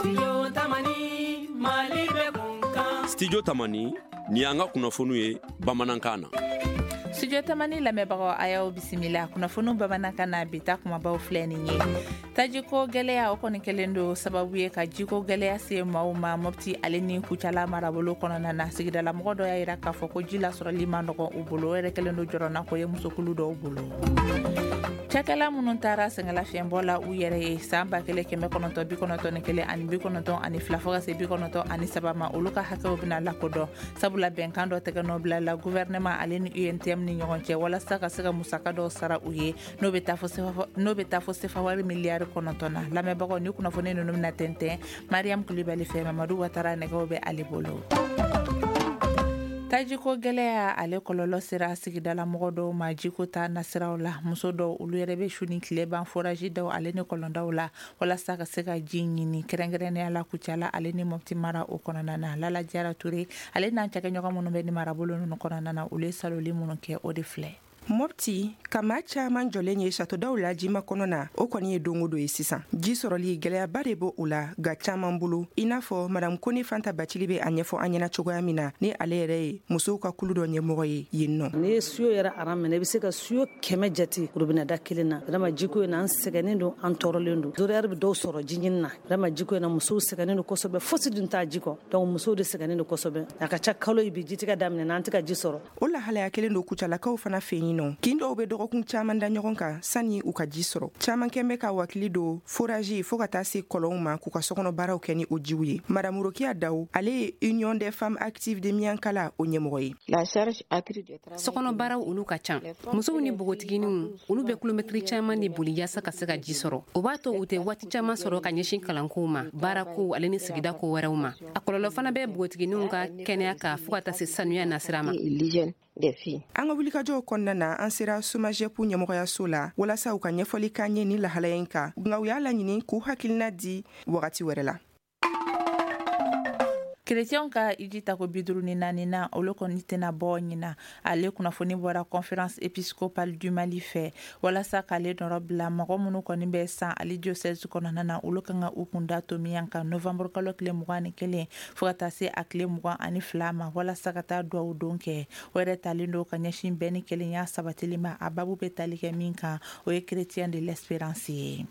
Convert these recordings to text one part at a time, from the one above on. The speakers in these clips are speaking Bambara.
Studio Tamani, Mali bɛ kun. Studio Tamani, nin y'an ka kunnafoniw ye bamanankan na. Studio Tamani lamɛnbagaw, a y'aw bisimila kunnafoniw bamanankan na. Bi ta kumabaw filɛ nin ye: tajiko gɛlɛya, o kɔni kɛlen don sababu ye ka jiko gɛlɛya se maaw ma Mɔpti ale ni Kucala marabolo kɔnɔna na. Sigidalamɔgɔ dɔ y'a yira k'a fɔ ko ji lasɔrɔli ma nɔgɔn u bolo. O yɛrɛ kɛlen don jɔrɔnako ye musokulu dɔw bolo. Cakɛla minnu taara sɛgɛnlafiɲɛbɔ la u yɛrɛ ye san 1991 ani 92 fo ka se 93 ma, olu ka hakɛw bɛna lakodɔn, sabula bɛnkan dɔ tɛgɛ nɔ bila la gouvernement ale ni UNTM ni ɲɔgɔn cɛ, walasa ka se ka musaka dɔw sara u ye, n'o bɛ taa fo sefa wari miliyari 9 na. Lamɛnbagaw, ni kunnafoni ninnu bɛna tɛntɛn Mariam Kulibali fɛ. Mamadu Watara nɛgɛw bɛ ale bolo. Tajiko gɛlɛya, ale kɔlɔlɔ sera sigidala mɔgɔ dɔw ma jiko ta nasiraw la. Muso dɔw, olu yɛrɛ bɛ su ni tile ban forage daw ale ni kɔlɔndaw la, walasa ka se ka ji ɲini, kɛrɛnkɛrɛnnenya la Kucala ale ni Mɔpti mara o kɔnɔna na. Lala Jara Ture ale n'an cakɛɲɔgɔn minnu bɛ ni marabolo ninnu kɔnɔna na, olu ye saloli minnu kɛ, o de filɛ. Mɔpti ka maa caaman jɔlen ye satodaw la jima kɔnɔ na, o kɔni ye don o don ye sisan. Ji sɔrɔli gwɛlɛyaba de b'o o la ga caaman bolo, i n'a fɔ Madame Kone Fanta Bacili be a ɲɛfɔ an ɲɛna cogoya min na, ni ale yɛrɛ ye musow ka kulu dɔ ɲɛmɔgɔ ye yen nɔ. N'i ye seau yɛrɛ aran minɛ, i be se ka seau 100 jate robinet da kelen na. Vraiment, jiko in na, an sɛgɛnnen don, an tɔɔrɔlen don. Horaire bɛ dɔw sɔrɔ ji ɲini na. Vraiment, jiko in na, musow sɛgɛnnen don kosɛbɛ. Fosi dun t'a ji kɔ. Donc musow de sɛgɛnnen don kosɛbɛ. A ka ca kalo ye bi, jitigɛ daminɛ na, an tɛ ka ji sɔrɔ. O lahalaya kelen don Kucalakaw fana fɛ yen nɔ. Kin dɔw bɛ dɔgɔkun caaman da ɲɔgɔn kan sani u ka ji sɔrɔ. Caaman kɛn bɛ ka wakili don forage fɔɔ ka taa se kɔlɔnw ma k'u ka sokɔnɔ baaraw kɛ ni o jiw ye. Madame Rokiya Daw, ale ye Union des femmes actives de Miyankala o ɲɛmɔgɔ ye. Sokɔnɔ baaraw, olu ka ca. Musow ni npogotigininw, olu bɛ kilomɛtiri caaman de boli yaasa ka se ka ji sɔrɔ. O b'a to u tɛ waati caaman sɔrɔ ka ɲɛsin kalankow ma, baarakow ale ni sigida ko wɛrɛw ma. A kɔlɔlɔ fana bɛ npogotigininw ka kɛnɛya kan, fɔɔ ka taa se sanuya nasira ma. An ka wulikajɔw kɔnɔna na, an sera SOMAGEP ɲɛmɔgɔyaso la walasa u ka ɲɛfɔli k'an ye ni lahalaya in kan, nka u y'a laɲini k'u hakilina di wagati wɛrɛ la. Kerecɛnw ka iji tako 54 na, olu kɔni tɛna bɔ ɲina. Ale kunnafoni bɔra Conférence épiscopale du Mali fɛ, walasa k'ale nɔrɔ bila mɔgɔ minnu kɔni bɛ san ale diocèse kɔnɔna na, olu kan ka u kunda tomiyan kan novembre kalo tile 21 fo ka taa se a tile 22 ma, walasa ka taa duwawu don kɛ. O yɛrɛ talen don ka ɲɛsin bɛɛ ni kelenya sabatili ma. A babu bɛ tali kɛ min kan, o ye chrétien de l'espérance ye.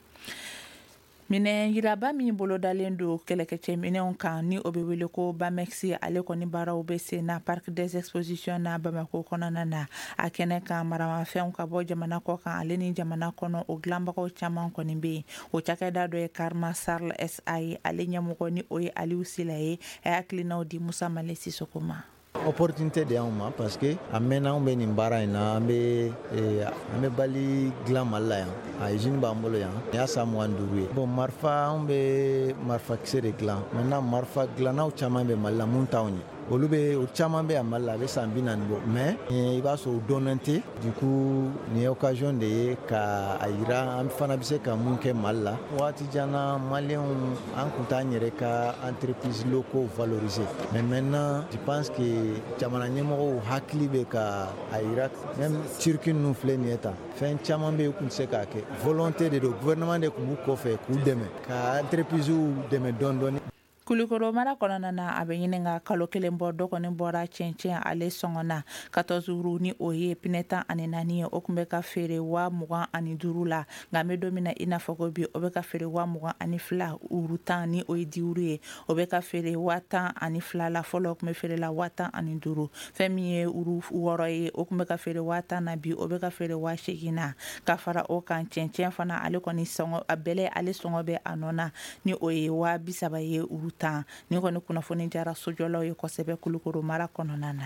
Minɛn yiraba min bolodalen don kɛlɛkɛcɛ minɛnw kan, ni o bɛ wele ko Bamexi, ale kɔni baaraw bɛ sen na Parc des expositions na Bamako kɔnɔna na. A kɛnɛ kan, maramafɛnw ka bɔ jamana kɔ kan ale ni jamana kɔnɔ, o dilanbagaw caman kɔni bɛ yen. O cakɛda dɔ ye Karma Sarl SA ye. Ale ɲɛmɔgɔ, ni o ye Aliou Sila ye, a y'a hakilinaw di Musa Male Sisoko ma. Opportunité de y'anw ma, parce que a mɛnna anw bɛ nin baara in na. An bɛ balle dilan Mali la yan. A usine b'an bolo yan, nin y'a san 25 ye. Bon, marifa, anw bɛ marifakisɛ de dilan. Maintenant, marifa dilannaw caman bɛ Mali la mun t'anw ye. Olu bɛ, o caman bɛ yan Mali la, a bɛ san 40 bɔ, mais i b'a sɔrɔ u dɔnnen tɛ. Du coup, nin ye occasion de ye ka a yira an fana bɛ se ka mun kɛ Mali la. Waati jan na, maliyɛnw, an tun t'an yɛrɛ ka entreprise locaux valoriser, mais maintenant, je pense que jamana ɲɛmɔgɔw hakili bɛ ka a yira. Même Turquie ninnu filɛ nin ye tan, fɛn caman bɛ yen, u tun tɛ se k'a kɛ. Volonté de don, gouvernement de tun b'u kɔfɛ k'u dɛmɛ, ka entreprise dɛmɛ dɔɔni dɔɔni. Kulikoro mara kɔnɔna na, a bɛ ɲini ka kalo kelen bɔ, dɔ kɔni bɔra cɛncɛn ale sɔngɔ na. 14 roues, ni o ye pinɛ 14 ye, o tun bɛ ka feere 25,000 la, nka an bɛ don min na i n'a fɔ ko bi, o bɛ ka feere 22,000. Roue 10, ni o ye 10 roues ye, o bɛ ka feere 12,000 la. Fɔlɔ, o tun bɛ feere la 15,000. Fɛn min ye roue 6 ye, o tun bɛ ka feere 10,000 na, bi o bɛ ka feere 8,000 na. Ka fara o kan, cɛncɛn fana, ale kɔni sɔngɔ, a bɛlɛ, ale sɔngɔ bɛ a nɔ na, ni o ye 30,000 ye roue 10. Ni kɔni kunnafoni jara sojɔlaw ye kosɛbɛ Kulukoro mara kɔnɔna na.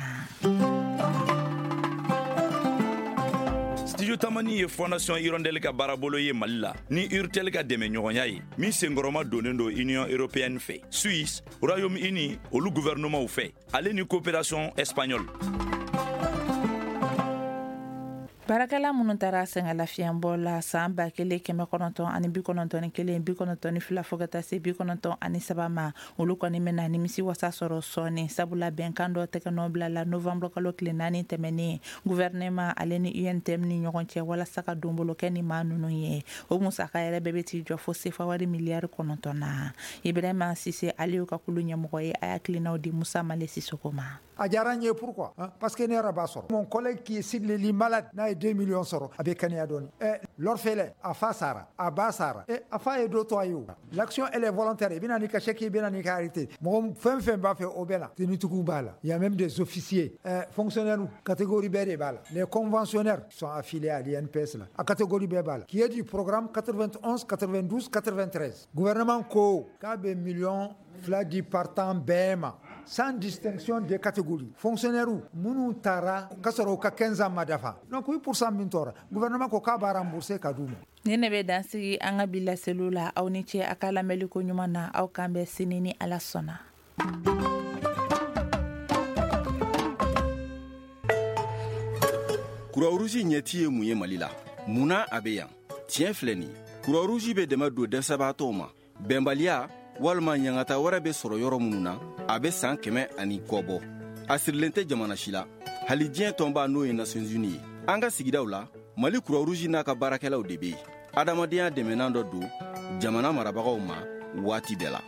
Studio Tamani ye Fondation Hirondelle ka baarabolo ye Mali la ni Urtel ka dɛmɛ ɲɔgɔnya ye, min senkɔrɔma donnen don Union européenne fɛ, Suisse, Royaume-Uni olu gouvernement fɛ, ale ni coopération espagnole. Baarakɛla minnu taara sɛgɛnlafiɲɛbɔ la san 1991, 92 fo ka taa se 93 ma, olu kɔni bɛna nimisi wasa sɔrɔ sɔɔni, sabula bɛnkan dɔ tɛgɛ bila la novembre kalo tile 4 tɛmɛnen, gouvernement ale ni UNTM ni ɲɔgɔn cɛ, walasa ka donbolo kɛ ni maa ninnu ye. O musaka yɛrɛ bɛɛ bɛ t'i jɔ fo sefa wari miliyari 9 na. Ibrahima Sise, ale y'u ka kulu ɲɛmɔgɔ ye, a y'a tilennaw di Musa Male Sisoko ma. A diyara n ye. Pourquoi? Parce que ne yɛrɛ b'a sɔrɔ. Mon collègue qui est sur le lit malade, n'a ye 2 millions sɔrɔ, a bɛ kɛnɛya dɔɔni. Ɛ, l'orphelin, a fa sara, a ba sara, ɛ, a fa ye dɔ to a ye. O l'action, elle est volontaire. I bɛna n'i ka chèque, i bɛna n'i ka arrêté. Mɔgɔ fɛn fɛn b'a fɛ, o bɛɛ la. Tenitigiw b'a la, il y a même des officiers, fonctionnaires, catégorie bɛɛ de b'a la. Les conventionnaires sont affiliés à l'INPS la, a catégorie bɛɛ b'a la, qui est du programme 91, 92, 93. Gouvernement ko k'a bɛ miliyɔn 2 di partant bɛɛ ma, sans distinction de catégorie. Fonctionnaire minnu taara ka sɔrɔ u ka 15 ans ma dafa, donc 8% min tora, gouvernement ko k'a b'a rembourser ka d'u ma. Ni ne bɛ dansigi an ka bi laseliw la. Aw ni ce a ka lamɛnli ko ɲuman na. Aw kan bɛn sini ni Ala sɔnna. Croix-Rouge ɲɛti ye mun ye Mali la? Mun na a bɛ yan? Tiɲɛ filɛ nin, Croix-Rouge bɛ dɛmɛ don dɛsɛbaatɔw ma, bɛnbaliya walima ɲangata wɛrɛ bɛ sɔrɔ yɔrɔ minnu na. A bɛ san 100 ani kɔ bɔ. A sirilen tɛ jamana si la, hali diɲɛ tɔnba, n'o ye Nations Unies ye. An ka sigidaw la, Mali Croix-Rouge n'a ka baarakɛlaw de bɛ yen. Adamadenya dɛmɛnan dɔ don jamana marabagaw ma waati bɛɛ la.